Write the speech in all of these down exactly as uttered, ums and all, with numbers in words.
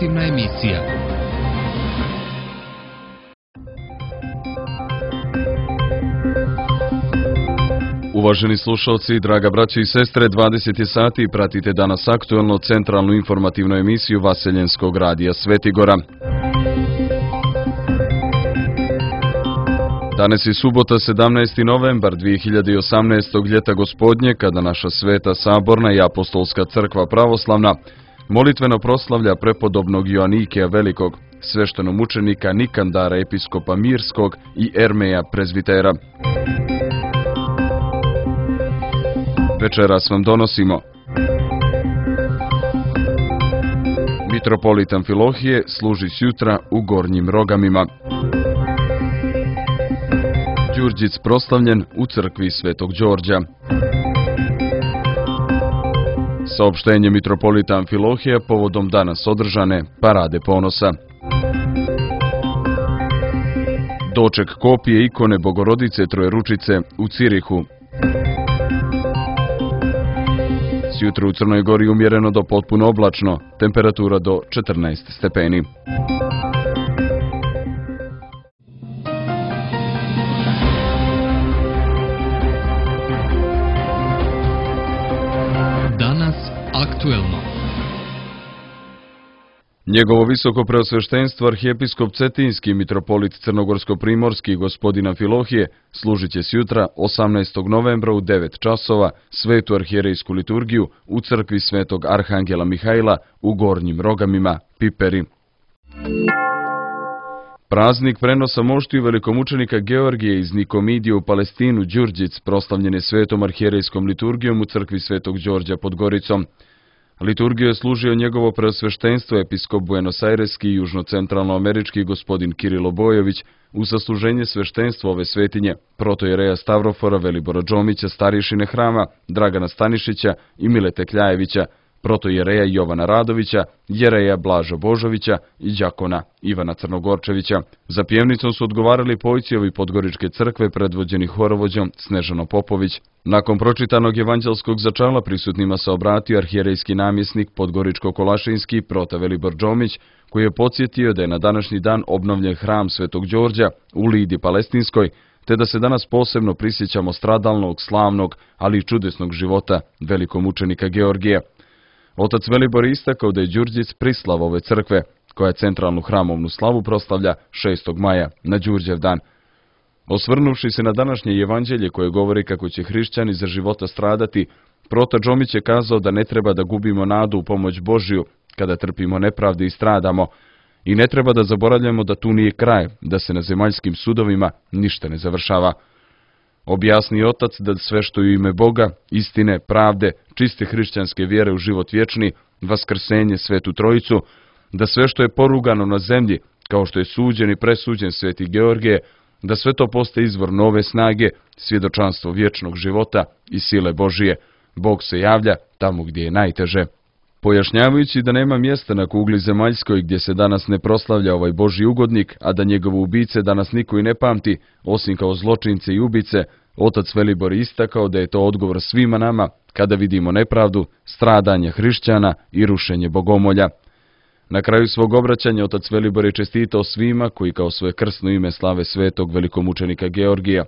informativna emisija. Uvaženi slušalci, draga braće i sestre, dvadeset je sati i pratite danas aktuelno centralnu informativnu emisiju Vaseljenskog radija Svetigora. Danas je subota, sedamnaesti novembar dvije hiljade osamnaestog. ljeta gospodnje, kada naša sveta saborna i apostolska crkva pravoslavna molitveno proslavlja prepodobnog Joanikija Velikog, sveštenomučenika Nikandara episkopa Mirskog i Ermeja prezbitera. Večeras vam donosimo: mitropolit Amfilohije služi sjutra u Gornjim Rogamima. Đurđic proslavljen u crkvi Svetog Đorđa. Saopštenje mitropolita Amfilohija povodom danas održane Parade ponosa. Doček kopije ikone Bogorodice Trojeručice u Cirihu. Sjutra u Crnoj Gori umjereno do potpuno oblačno, temperatura do četrnaest stepeni. Danas aktuelno. Njegovo visoko preosveštenstvo arhijepiskop Cetinski mitropolit Crnogorsko-primorski gospodin Amfilohije služit će sjutra osamnaestog novembra u devet časova svetu arhijerejsku liturgiju u crkvi Svetog Arhangela Mihajla u Gornjim Rogamima, Piperi. Praznik prenosa moštiju velikomučenika Georgije iz Nikomidije u Palestinu, Đurđic, proslavljen je svetom arhijerejskom liturgijom u crkvi Svetog Đorđa pod Goricom. Liturgiju je služio njegovo preosveštenstvo episkop Buenos-Aireski i južnocentralnoamerički gospodin Kirilo Bojović u sasluženje sveštenstva ove svetinje, protojereja Stavrofora Velibora Džomića, starješine hrama Dragana Stanišića i Milete Kljajevića, protojereja Jovana Radovića, jereja Blaža Božovića i đakona Ivana Crnogorčevića. Za pjevnicom su odgovarali pojciovi Podgoričke crkve predvođeni horovođom Snežano Popović. Nakon pročitanog evanđelskog začala prisutnima se obratio arhijerejski namjesnik Podgoričko-Kolašinski prota Velibor Džomić, koji je podsjetio da je na današnji dan obnovljen hram Svetog Đorđa u Lidi Palestinskoj, te da se danas posebno prisjećamo stradalnog, slavnog, ali i čudesnog života velikomučenika Georgija. Otac Velibor je istakao da je Đurđic prislav ove crkve, koja centralnu hramovnu slavu proslavlja šestog maja, na Đurđev dan. Osvrnuvši se na današnje evanđelje koje govori kako će hrišćani za života stradati, prota Džomić je kazao da ne treba da gubimo nadu u pomoć Božiju kada trpimo nepravde i stradamo, i ne treba da zaboravljamo da tu nije kraj, da se na zemaljskim sudovima ništa ne završava. Objasni otac da sve što je u ime Boga, istine, pravde, čiste hrišćanske vjere u život vječni, vaskrsenje, Svetu Trojicu, da sve što je porugano na zemlji, kao što je suđen i presuđen Sveti Georgije, da sve to postaje izvor nove snage, svjedočanstvo vječnog života i sile Božije. Bog se javlja tamo gdje je najteže. Pojašnjavajući da nema mjesta na kugli zemaljskoj gdje se danas ne proslavlja ovaj Božji ugodnik, a da njegove ubice danas niko i ne pamti, osim kao zločince i ubice, otac Velibor je istakao da je to odgovor svima nama kada vidimo nepravdu, stradanje hrišćana i rušenje bogomolja. Na kraju svog obraćanja otac Velibor je čestitao svima koji kao svoje krsno ime slave svetog velikomučenika Georgija.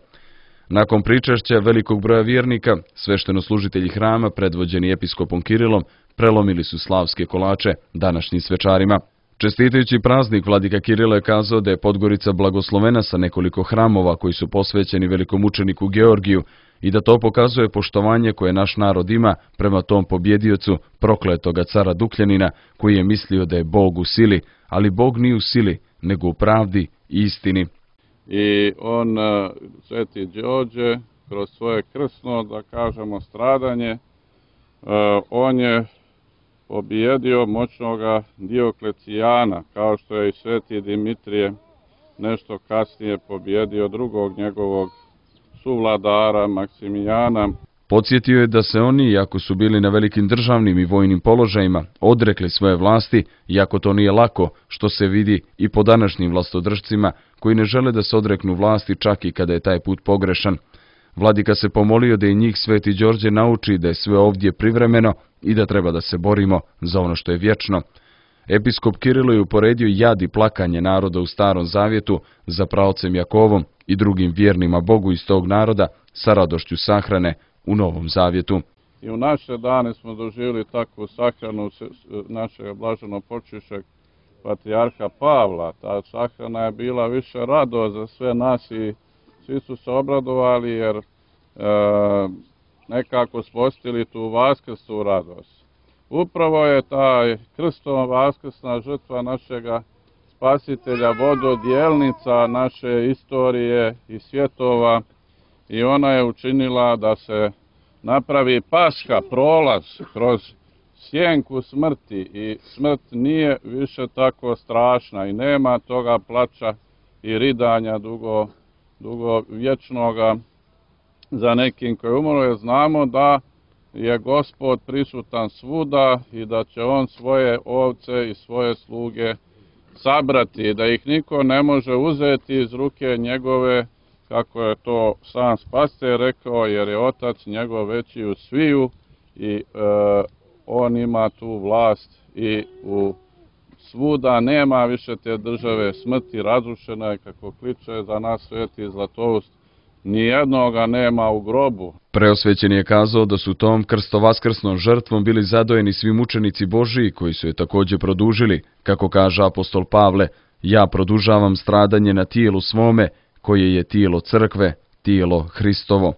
Nakon pričašća velikog broja vjernika, sveštenoslужitelji hrama, predvođeni episkopom Kirilom, prelomili su slavske kolače današnjim svečarima. Čestitajući praznik, vladika Kirilo je kazao da je Podgorica blagoslovena sa nekoliko hramova koji su posvećeni velikomučeniku Georgiju i da to pokazuje poštovanje koje naš narod ima prema tom pobjediocu, prokletoga cara Dukljanina, koji je mislio da je Bog u sili, ali Bog nije u sili, nego u pravdi i istini. I on, Sveti Đorđe, kroz svoje krsno, da kažemo, stradanje, on je pobjedio moćnoga Dioklecijana, kao što je i Sveti Dimitrije nešto kasnije pobjedio drugog njegovog suvladara Maksimilijana. Podsjetio je da se oni, iako su bili na velikim državnim i vojnim položajima, odrekli svoje vlasti, iako to nije lako, što se vidi i po današnjim vlastodržcima, koji ne žele da se odreknu vlasti čak i kada je taj put pogrešan. Vladika se pomolio da i njih Sveti Đorđe nauči da je sve ovdje privremeno i da treba da se borimo za ono što je vječno. episkop Kirilo je uporedio jad i plakanje naroda u Starom Zavjetu za praocem Jakovom i drugim vjernima Bogu iz tog naroda sa radošću sahrane u Novom Zavjetu. I u naše dane smo doživjeli takvu sahranu našeg blaženopočivšeg patrijarha Pavla. Ta sahrana je bila više radost za sve nas i svi su se obradovali jer e, nekako spostili tu vaskrsnu radost. Upravo je ta krstom vaskrsna žrtva našega spasitelja vododjelnica naše istorije i svjetova i ona je učinila da se napravi Paska, prolaz kroz sjenku smrti i smrt nije više tako strašna i nema toga plača i ridanja dugo, dugo vječnoga za nekim koji umro, jer znamo da je Gospod prisutan svuda i da će on svoje ovce i svoje sluge sabrati, da ih niko ne može uzeti iz ruke njegove, kako je to sam Spasitelj rekao, jer je Otac njegov veći u sviju i e, on ima tu vlast i u svuda nema više te države smrti, razrušena je, kako kliče za nas sveti Zlatoust, nijednoga nema u grobu. Preosvećen je kazao da su tom krstovaskrsnom žrtvom bili zadojeni svi mučenici Božiji koji su je također produžili, kako kaže apostol Pavle, ja produžavam stradanje na tijelu svome, koje je tijelo crkve, tijelo Hristovo.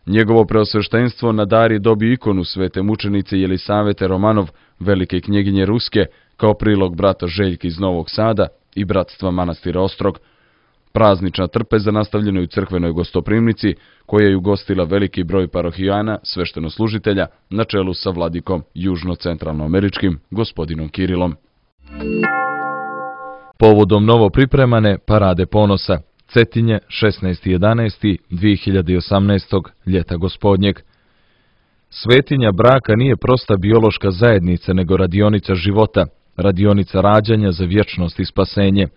Njegovo preosveštenstvo nadari dobio ikonu svete mučenice Jelisavete Romanov, velike knjeginje Ruske, kao prilog brata Željka iz Novog Sada i bratstva manastira Ostrog. Praznična trpeza nastavljena je u crkvenoj gostoprimnici, koja je ugostila veliki broj parohijana, sveštenoslужitelja, na čelu sa vladikom južno-centralnoameričkim, gospodinom Kirilom. Povodom novo pripremane Parade ponosa, Cetinje, šesnaesti jedanaesti dve hiljade osamnaestog ljeta gospodnjeg. Svetinja braka nije prosta biološka zajednica, nego radionica života, radionica rađanja za vječnost i spasenje.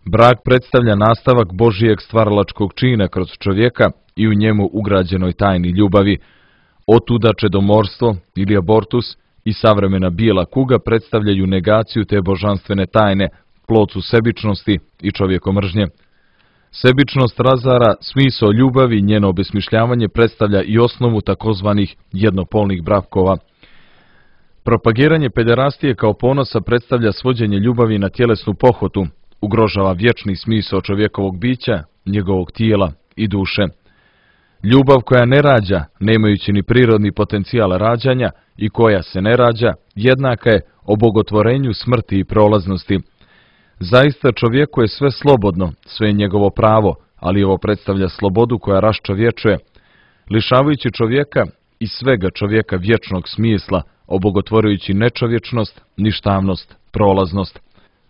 Brak predstavlja nastavak Božijeg stvaralačkog čina kroz čovjeka i u njemu ugrađenoj tajni ljubavi. Otuda čedomorstvo ili abortus i savremena bijela kuga predstavljaju negaciju te božanstvene tajne, plod su sebičnosti i čovjekomržnje. Sebičnost razara smisao ljubavi, njeno obesmišljavanje predstavlja i osnovu takozvanih jednopolnih brakova. Propagiranje pederastije kao ponosa predstavlja svođenje ljubavi na tjelesnu pohotu, ugrožava vječni smisao čovjekovog bića, njegovog tijela i duše. Ljubav koja ne rađa, nemajući ni prirodni potencijal rađanja i koja se ne rađa, jednaka je obogotvorenju smrti i prolaznosti. Zaista čovjeku je sve slobodno, sve je njegovo pravo, ali ovo predstavlja slobodu koja raščovječuje, lišavajući čovjeka i svega čovjeka vječnog smisla, obogotvorujući nečovječnost, ništavnost, prolaznost.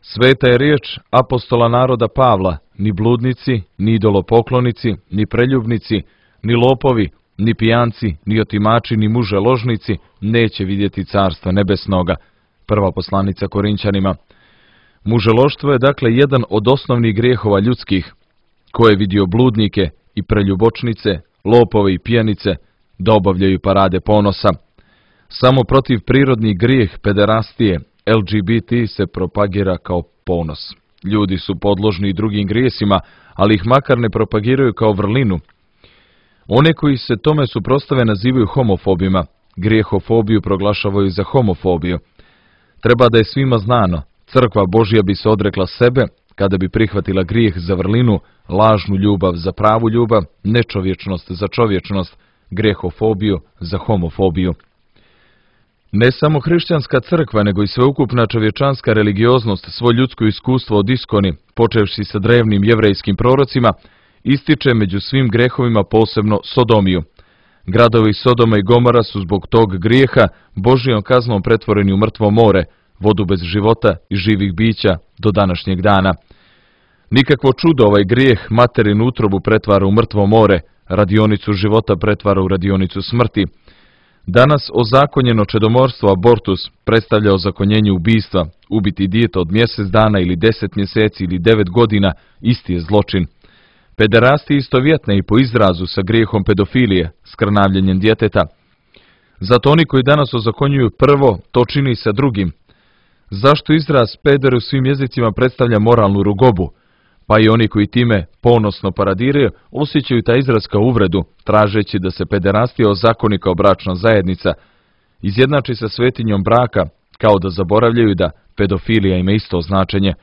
Sveta je riječ apostola naroda Pavla, ni bludnici, ni idolopoklonici, ni preljubnici, ni lopovi, ni pijanci, ni otimači, ni muže ložnici neće vidjeti carstva nebesnoga. Prva poslanica Korinćanima. Muželoštvo je dakle jedan od osnovnih grijehova ljudskih, ko je vidio bludnike i preljubočnice, lopove i pijanice da obavljaju parade ponosa. Samo protiv prirodni grijeh pederastije L G B T se propagira kao ponos. Ljudi su podložni i drugim grijesima, ali ih makar ne propagiraju kao vrlinu. One koji se tome suprotstave nazivaju homofobima, grijehofobiju proglašavaju za homofobiju. Treba da je svima znano, crkva Božja bi se odrekla sebe kada bi prihvatila grijeh za vrlinu, lažnu ljubav za pravu ljubav, nečovječnost za čovječnost, grijehofobiju za homofobiju. Ne samo hrišćanska crkva, nego i sveukupna čovječanska religioznost svo ljudsko iskustvo od iskoni, počevši sa drevnim jevrejskim prorocima, ističe među svim grehovima posebno sodomiju. Gradovi Sodoma i Gomora su zbog tog grijeha Božijom kaznom pretvoreni u mrtvo more, vodu bez života i živih bića do današnjeg dana. Nikakvo čudo ovaj grijeh materinu utrobu pretvara u mrtvo more, radionicu života pretvara u radionicu smrti. Danas ozakonjeno čedomorstvo abortus predstavlja ozakonjenje ubistva, ubiti dijete od mjesec dana ili deset mjeseci ili devet godina, isti je zločin. Pederasti istovjetne i po izrazu sa grijehom pedofilije, skrnavljenjem djeteta. Zato oni koji danas ozakonjuju prvo, to čini sa drugim. Zašto izraz peder u svim jezicima predstavlja moralnu rugobu? Pa i oni koji time ponosno paradiraju osjećaju taj izraz kao uvredu, tražeći da se pederastija ozakoni kao bračna zajednica, izjednači sa svetinjom braka, kao da zaboravljaju da pedofilija ima isto značenje.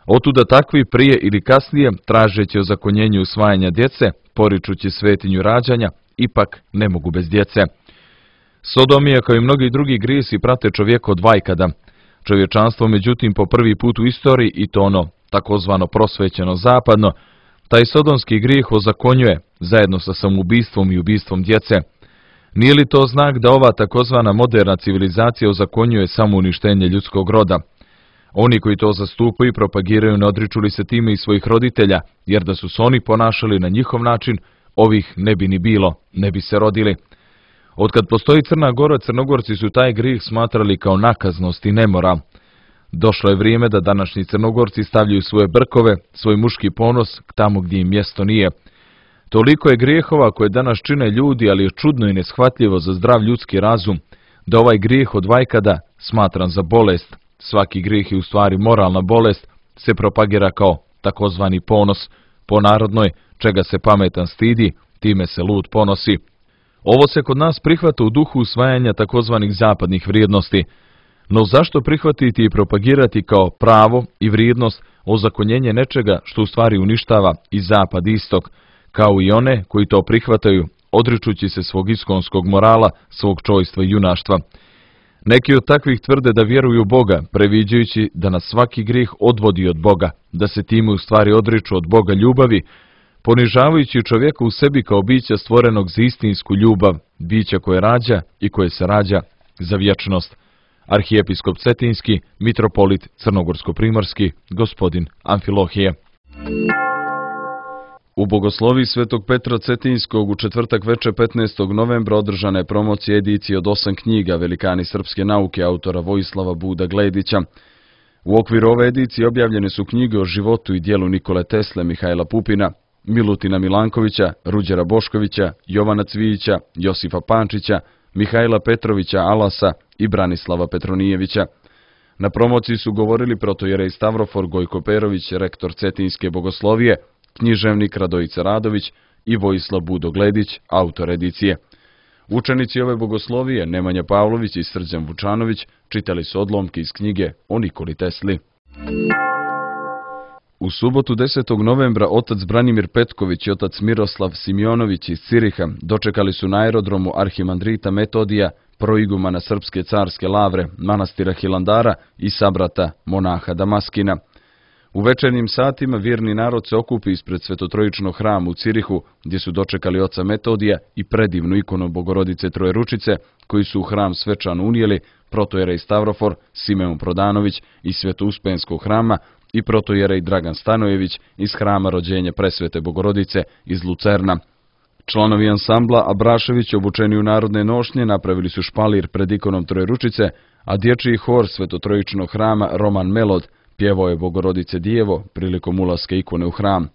Otuda takvi prije ili kasnije, tražeći ozakonjenje usvajanja djece, poričući svetinju rađanja, ipak ne mogu bez djece. Sodomija, kao i mnogi drugi grijesi, prate čovjeka od vajkada. Čovječanstvo, međutim, po prvi put u istoriji, i to ono takozvano prosvećeno zapadno, taj sodomski grijeh ozakonjuje, zajedno sa samoubistvom i ubistvom djece. Nije li to znak da ova takozvana moderna civilizacija ozakonjuje samouništenje ljudskog roda? Oni koji to zastupaju i propagiraju ne odriču li se time i svojih roditelja, jer da su se oni ponašali na njihov način, ovih ne bi ni bilo, ne bi se rodili. Otkad postoji Crna Gora, Crnogorci su taj grijeh smatrali kao nakaznost i nemoral. Došlo je vrijeme da današnji Crnogorci stavljaju svoje brkove, svoj muški ponos tamo gdje im mjesto nije. Toliko je grijehova koje danas čine ljudi, ali je čudno i neshvatljivo za zdrav ljudski razum, da ovaj grijeh od vajkada, smatran za bolest, svaki grijeh je u stvari moralna bolest, se propagira kao takozvani ponos, po narodnoj, čega se pametan stidi, time se lud ponosi. Ovo se kod nas prihvata u duhu usvajanja takozvanih zapadnih vrijednosti. No zašto prihvatiti i propagirati kao pravo i vrijednost ozakonjenje nečega što u stvari uništava i zapad i istok, kao i one koji to prihvataju, odričući se svog iskonskog morala, svog čojstva i junaštva? Neki od takvih tvrde da vjeruju u Boga, previđajući da nas svaki grijeh odvodi od Boga, da se time u stvari odriču od Boga ljubavi, ponižavajući čovjeka u sebi kao bića stvorenog za istinsku ljubav, bića koje rađa i koje se rađa za vječnost. Arhijepiskop Cetinski, mitropolit Crnogorsko-primorski, gospodin Amfilohije. U bogosloviji Svetog Petra Cetinskog u četvrtak veče petnaestog novembra održana je promocija edicije od osam knjiga Velikani srpske nauke autora Vojislava Buda Gledića. U okviru ove edicije objavljene su knjige o životu i djelu Nikole Tesle, Mihajla Pupina, Milutina Milankovića, Ruđera Boškovića, Jovana Cvijića, Josifa Pančića, Mihajla Petrovića Alasa i Branislava Petronijevića. Na promociji su govorili protojerej Stavrofor Gojko Perović, rektor Cetinske bogoslovije, književnik Radojica Radović i Vojislav Budo Gledić, autor edicije. Učenici ove bogoslovije, Nemanja Pavlović i Srđan Vučanović, čitali su odlomke iz knjige o Nikoli Tesli. U subotu desetog novembra otac Branimir Petković i otac Miroslav Simjonović iz Ciriha dočekali su na aerodromu arhimandrita Metodija, proigumana Srpske carske lavre, manastira Hilandara i sabrata monaha Damaskina. U večernjim satima vjerni narod se okupi ispred Svetotrojičnog hrama u Cirihu, gdje su dočekali oca Metodija i predivnu ikonu Bogorodice Trojeručice, koji su u hram svečano unijeli protojerej Stavrofor, Simeon Prodanović iz Svetouspenskog hrama i protojerej Dragan Stanojević iz hrama rođenja Presvete Bogorodice iz Lucerna. Članovi ansambla Abrašević, obučeni u narodne nošnje, napravili su špalir pred ikonom Trojeručice, a dječji hor Svetotrojičnog hrama Roman Melod pjevao je Bogorodice Dijevo prilikom ulaska ikone u hram.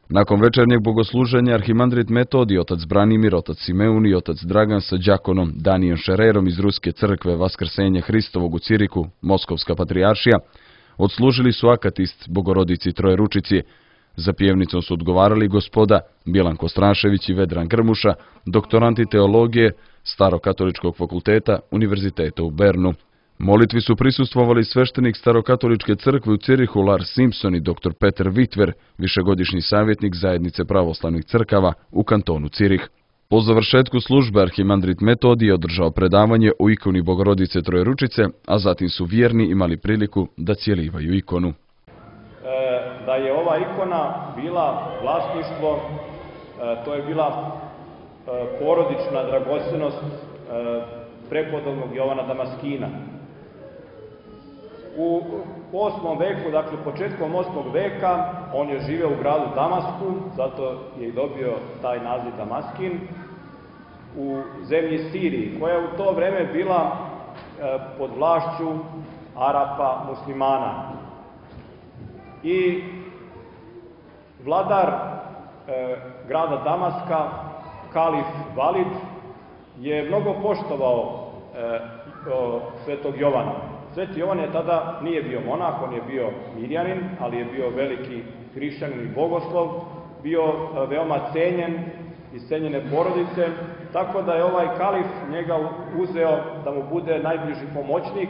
Nakon večernjeg bogosluženja arhimandrit Metodij, otac Branimir, otac Simeun i otac Dragan sa đakonom Danijem Šererom iz Ruske crkve Vaskrsenja Hristovog u Ciriku, Moskovska patrijaršija, odslužili su akatist Bogorodici Trojeručici. Za pjevnicom su odgovarali gospoda Bjelanko Strašević i Vedran Grmuša, doktoranti teologije Starokatoličkog fakulteta Univerziteta u Bernu. Molitvi su prisustvovali sveštenik Starokatoličke crkve u Cirihu Lars Simpson i doktor Peter Vitver, višegodišnji savjetnik zajednice pravoslavnih crkava u kantonu Cirih. Po završetku službe arhimandrit Metodij je održao predavanje o ikoni Bogorodice Trojeručice, a zatim su vjerni imali priliku da cijelivaju ikonu. E, da je ova ikona bila vlasništvo, e, to je bila e, porodična dragocenost e, prepodobnog Jovana Damaskina. U osmom veku, dakle početkom osmog veka, on je živeo u gradu Damasku, zato je i dobio taj naziv Damaskin, u zemlji Siriji, koja je u to vreme bila e, pod vlašću Arapa muslimana. I vladar e, grada Damaska, kalif Valid, je mnogo poštovao e, o, svetog Jovana. Sveti Jovan je tada, nije bio monah, on je bio mirjanin, ali je bio veliki hrišćanin i bogoslov, bio veoma cenjen iz cenjene porodice, tako da je ovaj kalif njega uzeo da mu bude najbliži pomoćnik,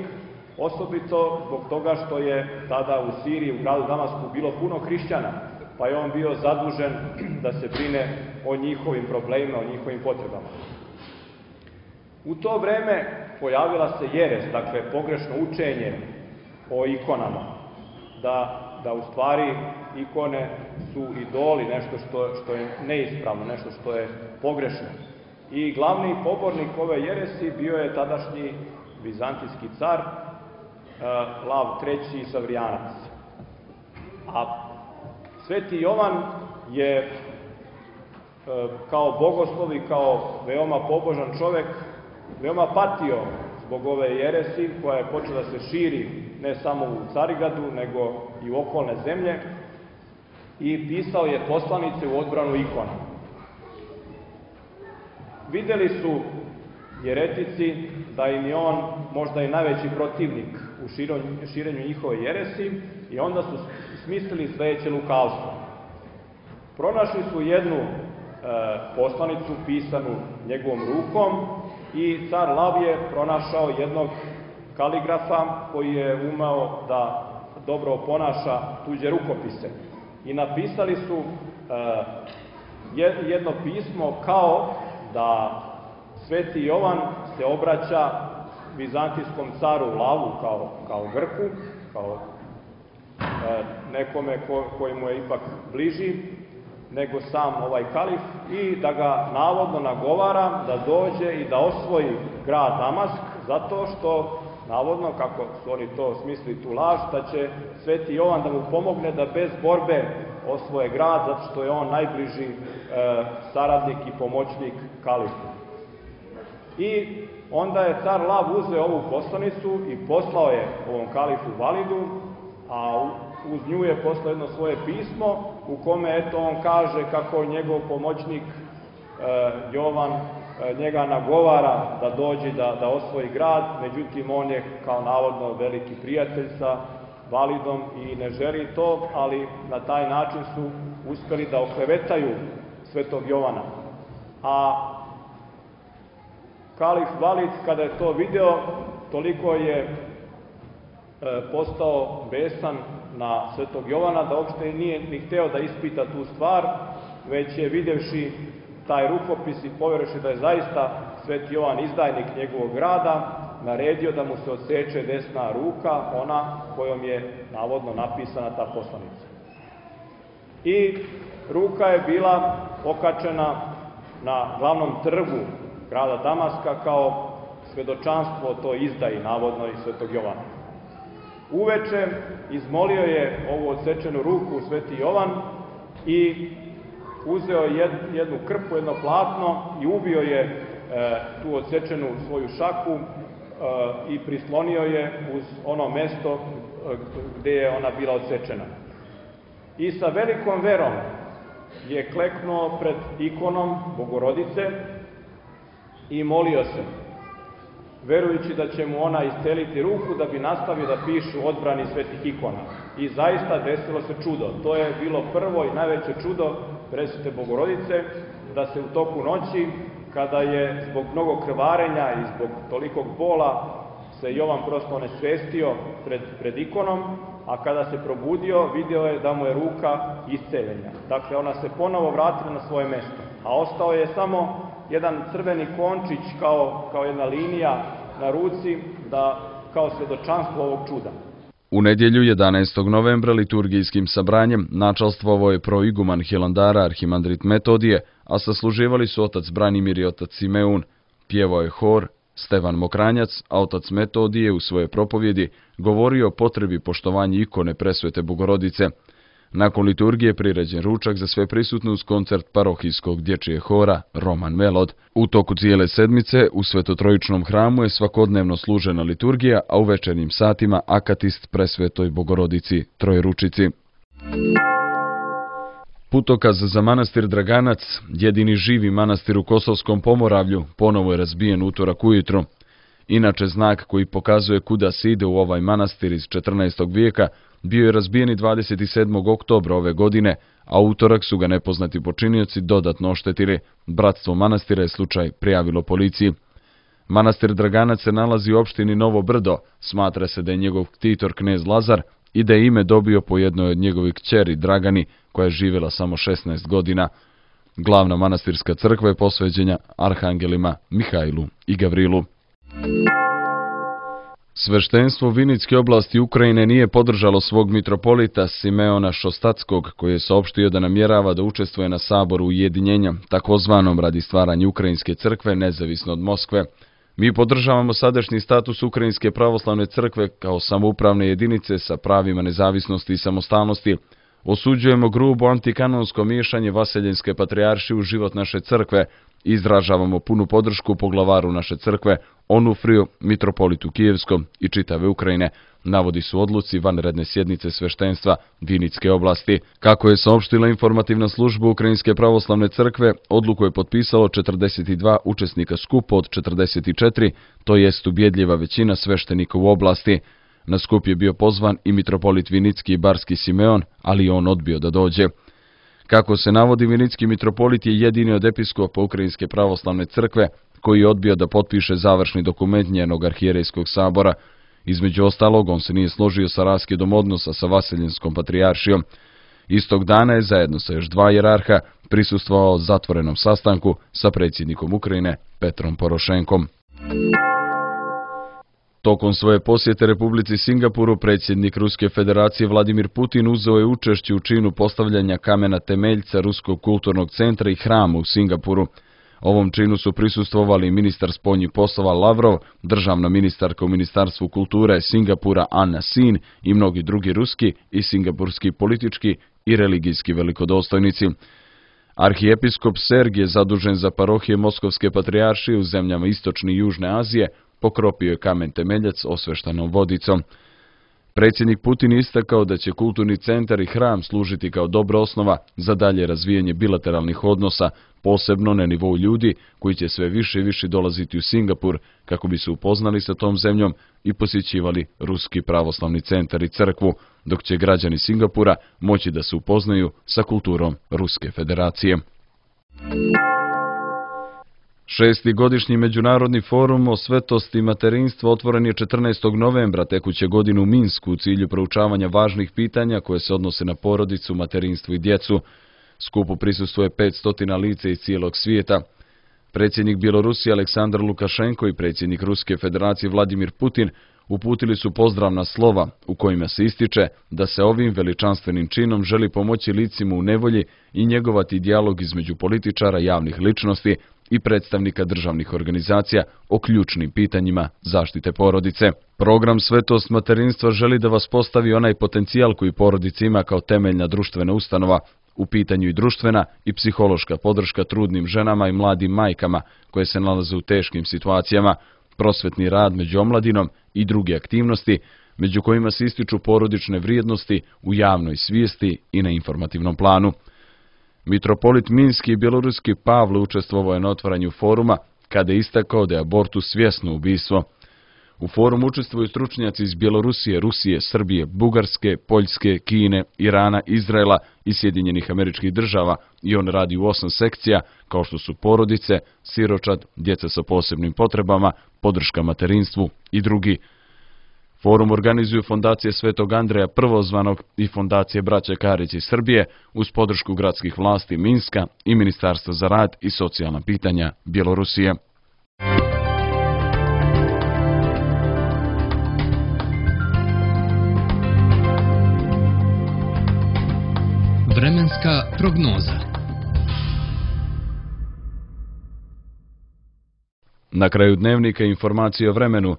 osobito zbog toga što je tada u Siriji, u gradu Damasku, bilo puno hrišćana, pa je on bio zadužen da se brine o njihovim problemima, o njihovim potrebama. U to vreme pojavila se jeres, dakle pogrešno učenje o ikonama, da, da u stvari ikone su idoli, nešto što, što je neispravno, nešto što je pogrešno. I glavni pobornik ove jeresi bio je tadašnji vizantijski car Lav treći Savrijanac. A Sveti Jovan je kao bogoslov i kao veoma pobožan čovek veoma patio zbog ove jeresi koja je počela da se širi ne samo u Carigradu, nego i u okolne zemlje, i pisao je poslanice u odbranu ikona. Videli su jeretici da im je on možda i najveći protivnik u širenju njihove jeresi i onda su smislili sledeće lukavstvo. Pronašli su jednu e, poslanicu pisanu njegovom rukom i car Lav je pronašao jednog kaligrafa koji je umeo da dobro oponaša tuđe rukopise. I napisali su e, jedno pismo kao da Sveti Jovan se obraća vizantijskom caru Lavu kao, kao Grku, kao e, nekome ko, koji mu je ipak bliži nego sam ovaj kalif, i da ga navodno nagovara da dođe i da osvoji grad Damask, zato što navodno, kako su oni to smislili tu laž, da će Sveti Jovan da mu pomogne da bez borbe osvoje grad, zato što je on najbliži e, saradnik i pomoćnik kalifu. I onda je car Lav uzeo ovu poslanicu i poslao je ovom kalifu Validu, a uz nju je poslao jedno svoje pismo u kome eto on kaže kako njegov pomoćnik e, Jovan e, njega nagovara da dođe da, da osvoji grad, međutim on je kao navodno veliki prijatelj sa Validom i ne želi to, ali na taj način su uspeli da oklevetaju Svetog Jovana. A kalif Valid, kada je to video, toliko je e, postao besan na Svetog Jovana da uopšte nije ni hteo da ispita tu stvar, već je videvši taj rukopis i poverovši da je zaista Sveti Jovan izdajnik njegovog grada, naredio da mu se odseče desna ruka, ona kojom je navodno napisana ta poslanica. I ruka je bila okačena na glavnom trgu grada Damaska kao svedočanstvo o toj izdaji, navodno, i Svetog Jovana. Uveče izmolio je ovu odsečenu ruku Sveti Jovan i uzeo jednu krpu, jedno platno i ubio je e, tu odsečenu svoju šaku e, i prislonio je uz ono mesto gde je ona bila odsečena. I sa velikom verom je kleknuo pred ikonom Bogorodice i molio se, verujući da će mu ona isceliti ruku da bi nastavio da piše u odbrani svetih ikona. I zaista desilo se čudo. To je bilo prvo i najveće čudo Presvete Bogorodice, da se u toku noći, kada je zbog mnogo krvarenja i zbog tolikog bola se Jovan prosto onesvestio pred, pred ikonom, a kada se probudio, video je da mu je ruka isceljena. Dakle, ona se ponovo vratila na svoje mesto, a ostao je samo jedan crveni končić kao, kao jedna linija na ruci, da, kao svedočanstvo ovog čuda. U nedjelju jedanaestog novembra liturgijskim sabranjem načalstvovao je proiguman Hilandara arhimandrit Metodije, a sasluživali su otac Branimir i otac Simeun. Pjevao je hor Stevan Mokranjac, a otac Metodije u svoje propovjedi govorio o potrebi poštovanja ikone Presvete Bogorodice. Nakon liturgije priređen ručak za sve prisutne uz koncert parohijskog dječje hora Roman Melod. U toku cijele sedmice u Svetotrojičnom hramu je svakodnevno služena liturgija, a u večernjim satima akatist Presvetoj Bogorodici Trojeručici. Putokaz za manastir Draganac, jedini živi manastir u Kosovskom Pomoravlju, ponovo je razbijen utorak ujutro. Inače, znak koji pokazuje kuda se ide u ovaj manastir iz četrnaestog vijeka bio je razbijen dvadeset sedmog oktobra ove godine, a utorak su ga nepoznati počinioci dodatno oštetili. Bratstvo manastira je slučaj prijavilo policiji. Manastir Draganac se nalazi u opštini Novo Brdo. Smatra se da je njegov ktitor knez Lazar i da je ime dobio po jednoj od njegovih kćeri Dragani, koja je živjela samo šesnaest godina. Glavna manastirska crkva je posvećena arhangelima Mihajlu i Gavrilu. Sveštenstvo Vinitske oblasti Ukrajine nije podržalo svog mitropolita Simeona Šostatskog, koji je saopštio da namjerava da učestvuje na saboru ujedinjenja, takozvanom radi stvaranja Ukrajinske crkve nezavisno od Moskve. Mi podržavamo sadašnji status Ukrajinske pravoslavne crkve kao samoupravne jedinice sa pravima nezavisnosti i samostalnosti. Osuđujemo grubo antikanonsko miješanje Vaseljenske patrijaršije u život naše crkve. Izražavamo punu podršku poglavaru naše crkve, Onufriju, mitropolitu Kijevskom i čitave Ukrajine, navodi su odluci vanredne sjednice sveštenstva Vinitske oblasti. Kako je saopštila informativna služba Ukrajinske pravoslavne crkve, odluku je potpisalo četrdeset dva učesnika skupa od četrdeset četiri, to jest ubjedljiva većina sveštenika u oblasti. Na skup je bio pozvan i mitropolit Vinitski i Barski Simeon, ali on odbio da dođe. Kako se navodi, Vinitski mitropolit je jedini od episkopa Ukrajinske pravoslavne crkve koji je odbio da potpiše završni dokument njenog arhijerejskog sabora. Između ostalog, on se nije složio sa raskidom odnosa sa Vaseljenskom patrijaršijom. Istog dana je zajedno sa još dva jerarha prisustvovao zatvorenom sastanku sa predsjednikom Ukrajine Petrom Porošenkom. Tokom svoje posjete Republici Singapuru, predsjednik Ruske federacije Vladimir Putin uzeo je učešće u činu postavljanja kamena temeljca Ruskog kulturnog centra i hrama u Singapuru. Ovom činu su prisustvovali ministar spoljnih poslova Lavrov, državna ministarka u Ministarstvu kulture Singapura Anna Sin i mnogi drugi ruski i singapurski politički i religijski velikodostojnici. Arhijepiskop Sergije, zadužen za parohije Moskovske patrijaršije u zemljama Istočne i Južne Azije, pokropio je kamen temeljac osveštanom vodicom. Predsjednik Putin istakao da će kulturni centar i hram služiti kao dobra osnova za dalje razvijanje bilateralnih odnosa, posebno na nivou ljudi koji će sve više i više dolaziti u Singapur kako bi se upoznali sa tom zemljom i posjećivali Ruski pravoslavni centar i crkvu, dok će građani Singapura moći da se upoznaju sa kulturom Ruske federacije. Šesti godišnji međunarodni forum o svetosti materinstva otvoren je četrnaestog novembra tekuće godine u Minsku u cilju proučavanja važnih pitanja koje se odnose na porodicu, materinstvo i djecu. Skupu prisustvuje petsto lica iz cijelog svijeta. Predsjednik Bjelorusije Aleksandar Lukašenko i predsjednik Ruske federacije Vladimir Putin uputili su pozdravna slova u kojima se ističe da se ovim veličanstvenim činom želi pomoći licima u nevolji i njegovati dijalog između političara, javnih ličnosti i predstavnika državnih organizacija o ključnim pitanjima zaštite porodice. Program Svetost materinstva želi da vas postavi onaj potencijal koji porodica ima kao temeljna društvena ustanova, u pitanju i društvena i psihološka podrška trudnim ženama i mladim majkama koje se nalaze u teškim situacijama, prosvetni rad među omladinom i druge aktivnosti, među kojima se ističu porodične vrijednosti u javnoj svijesti i na informativnom planu. Mitropolit Minski i bjeloruski Pavle učestvovao je na otvaranju foruma kada je istakao da je abortus svjesno ubistvo. U forumu učestvuju stručnjaci iz Bjelorusije, Rusije, Srbije, Bugarske, Poljske, Kine, Irana, Izraela i Sjedinjenih Američkih Država i on radi u osam sekcija kao što su porodice, siročad, djeca sa posebnim potrebama, podrška materinstvu i drugi. Forum organizuju Fondacije Svetog Andreja Prvozvanog i Fondacije Braće Karić iz Srbije uz podršku gradskih vlasti Minska i Ministarstva za rad i socijalna pitanja Bjelorusije. Vremenska prognoza. Na kraju dnevnika informacije o vremenu.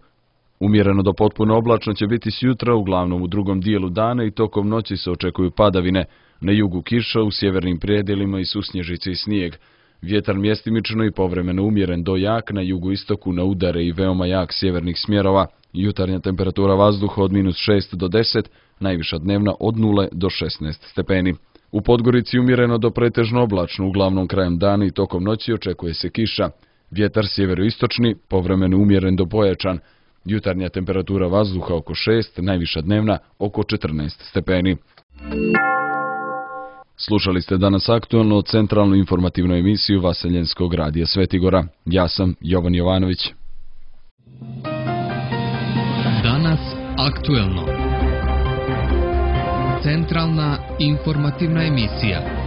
Umjereno do potpuno oblačno će biti sjutra, uglavnom u drugom dijelu dana i tokom noći se očekuju padavine. Na jugu kiša, u sjevernim predjelima i susnježice i snijeg. Vjetar mjestimično i povremeno umjeren do jak, na jugoistoku na udare i veoma jak sjevernih smjerova. Jutarnja temperatura vazduha od minus šest do deset, najviša dnevna od nule do šesnaest stepeni. U Podgorici umjereno do pretežno oblačno, uglavnom krajem dana i tokom noći očekuje se kiša. Vjetar sjeveroistočni, povremeno umjeren do pojačan. Jutarnja temperatura vazduha oko šest, najviša dnevna oko četrnaest stepeni. Slušali ste danas aktualno centralnu informativnu emisiju Vaseljenskog radija Svetigora. Ja sam Jovan Jovanović. Danas aktuelno. Centralna informativna emisija.